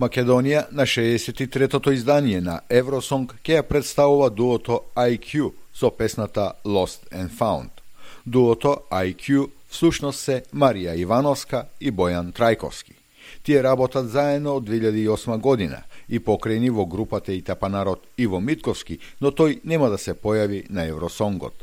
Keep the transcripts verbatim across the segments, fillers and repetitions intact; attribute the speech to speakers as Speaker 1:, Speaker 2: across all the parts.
Speaker 1: Македонија на шеесет и третото издание на Евросонг ќе ја представува дуото I Q со песната Lost and Found. Дуото I Q всушност се Марија Ивановска и Бојан Трајковски. Тие работат заедно од две илјади и осма година и покрени во групата Итапанарот Иво Митковски, но тој нема да се појави на Евросонгот.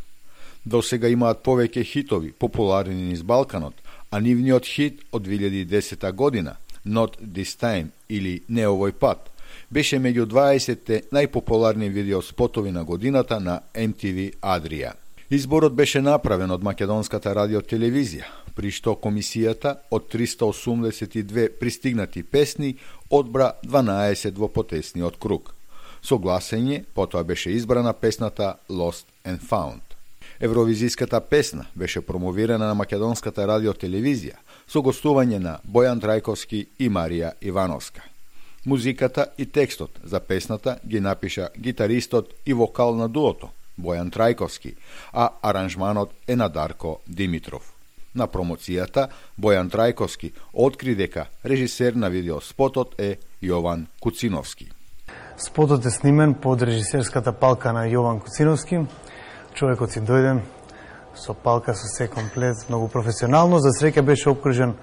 Speaker 1: До сега имаат повеќе хитови, популарни низ Балканот, а нивниот хит од две илјади и десета година, Not This Time или Не овој пат, беше меѓу дваесетте најпопуларни видеоспотови на годината на Ем Ти Ви Адрија. Изборот беше направен од Македонската радиотелевизија, при што комисијата од триста осумдесет и две пристигнати песни одбра дванаесет во потесниот круг. Со гласење потоа беше избрана песната Lost and Found. Евровизиската песна беше промовирана на Македонската радиотелевизија со гостување на Бојан Трајковски и Марија Ивановска. Музиката и текстот за песната ги напиша гитаристот и вокал на дуото Бојан Трајковски, а аранжманот е на Дарко Димитров. На промоцијата Бојан Трајковски откри дека режисер на видеоспотот е Јован Куциновски.
Speaker 2: Спотот е снимен под режисерската палка на Јован Куциновски. Човекот си дојде со палка, со се комплет, многу професионално. За среќа беше обкружен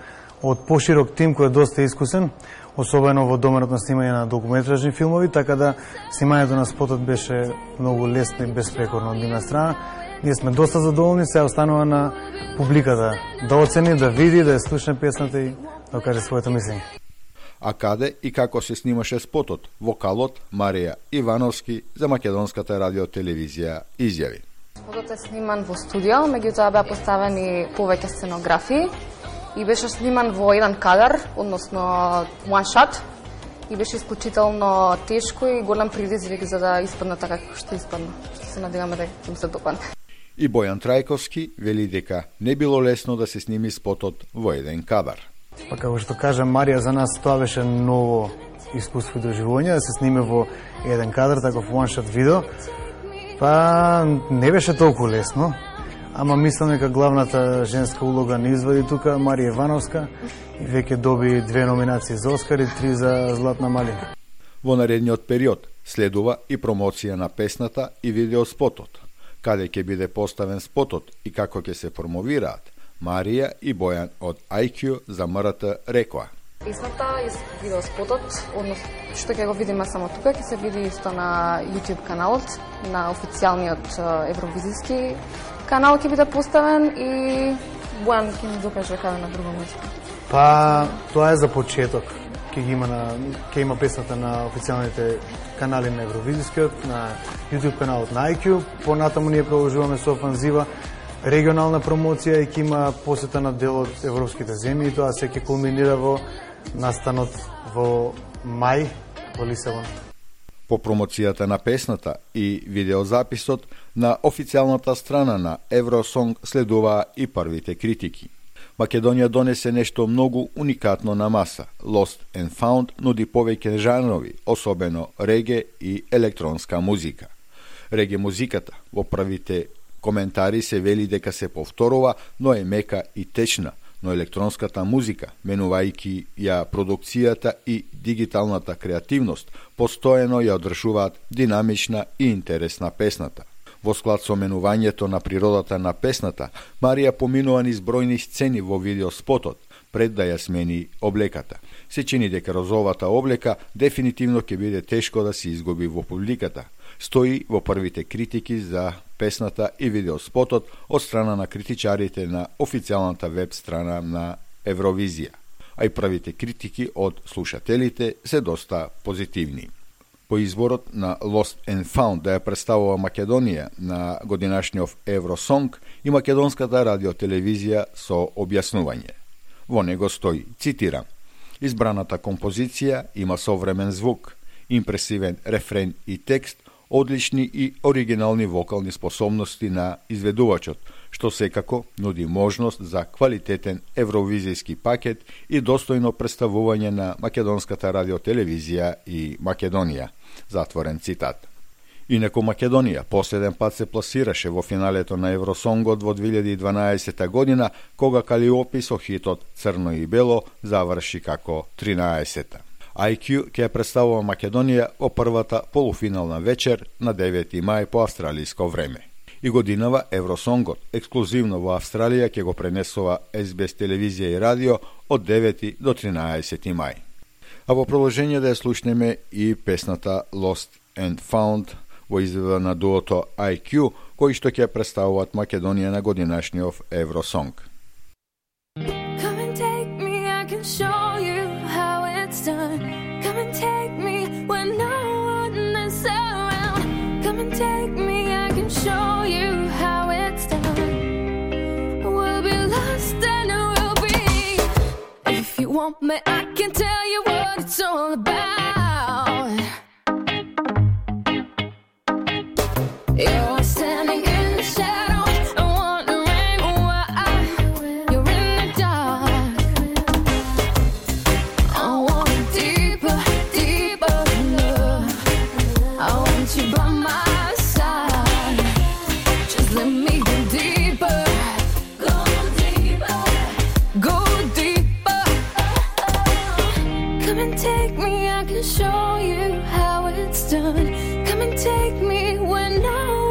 Speaker 2: од поширок тим кој е доста искусен, особено во доменот на снимање на документарни филмови, така да снимањето на спотот беше многу лесно и безпрекорно од нивна страна. Ние сме доста задоволни, се останува на публиката да оцени, да види, да ја слушне песната и да каже своето мислење.
Speaker 1: А каде и како се снимаше спотот, вокалот Марија Ивановски за Македонската радиотелевизија изјави.
Speaker 3: Спотот е сниман во студио, меѓутоа беа поставени повеќе сценографии и беше сниман во еден кадар, односно one shot, и беше исклучително тешко и голем предизвик за да испадне така како што испадна. Што се надеваме да им се допадне.
Speaker 1: И Бојан Трајковски вели дека не било лесно да се сними спотот во еден кадар.
Speaker 2: Па како што кажа Марија, за нас тоа беше ново искуство и доживување, да се сниме во еден кадар, таков one shot видео. Па не беше толку лесно, ама мислам дека главната женска улога не извади тука Марија Ивановска и веќе доби две номинации за Оскар и три за Златна малина.
Speaker 1: Во наредниот период следува и промоција на песната и видеоспотот. Каде ќе биде поставен спотот и како ќе се промовираат, Марија и Бојан од I Q за М Р Т рекоа.
Speaker 3: Песната и видеоспотот, односно што ќе го видиме само тука, ќе се види исто на YouTube каналот, на официјалниот евровизиски канал ќе биде поставен и Бојан ќе ни докаже каде на друго место.
Speaker 2: Па тоа е за почеток. Ќе ги има на ќе има песната на официјалните канали на евровизискиот, на YouTube каналот на I Q. Понатаму ние продолжуваме со офанзива регионална промоција и ќе има посета на дел од европските земји и тоа се ќе кулминира во настанот во мај во Лисабон.
Speaker 1: По промоцијата на песната и видеозаписот на официјалната страна на Евросонг следуваа и првите критики. Македонија донесе нешто многу уникатно на маса. Lost and Found нуди повеќе жанрови, особено реге и електронска музика. Реге музиката во првите коментари се вели дека се повторува, но е мека и течна, но електронската музика, менувајќи ја продукцијата и дигиталната креативност, постојано ја одржуваат динамична и интересна песната. Во склад со менувањето на природата на песната, Марија поминува низ бројни сцени во видеоспотот, пред да ја смени облеката. Се чини дека розовата облека дефинитивно ќе биде тешко да се изгуби во публиката. Стои во првите критики за песната и видеоспотот од страна на критичарите на официјалната веб страна на Евровизија, а и првите критики од слушателите се доста позитивни. По изборот на Lost and Found да ја представува Македонија на годинашниот Евросонг и Македонската радиотелевизија со објаснување. Во него стои, цитирам, избраната композиција има современ звук, импресивен рефрен и текст, одлични и оригинални вокални способности на изведувачот, што секако нуди можност за квалитетен евровизијски пакет и достојно представување на Македонската радиотелевизија и Македонија. Затворен цитат. Инаку Македонија последен пат се пласираше во финалето на Евросонгот во две илјади и дванаесета година, кога Калиопи со хитот Црно и бело заврши како тринаесета. ај кју ќе ја представува Македонија во првата полуфинална вечер на девети мај по австралиско време. И годинава Евросонгот ексклузивно во Австралија ќе го пренесува Ес Би Ес телевизија и радио од девети до тринаесети мај. А во продолжение да ја слушнеме и песната Lost and Found во изведба на дуото ај кју, кои што ќе представуваат Македонија на годинашниот Евросонг.
Speaker 4: Come and take me, I can show you how it's done. Come and take me when no one is around. Come and take me, I can show you how it's done. We'll be lost and we'll be. If you want me, I can tell you what it's all about. You're standing in the shadow and wondering why you're in the dark. I want deeper, deeper love. I want you by my side. Just let me go deeper, go deeper, go deeper. Come and take me, I can show you how it's done. Come and take me when no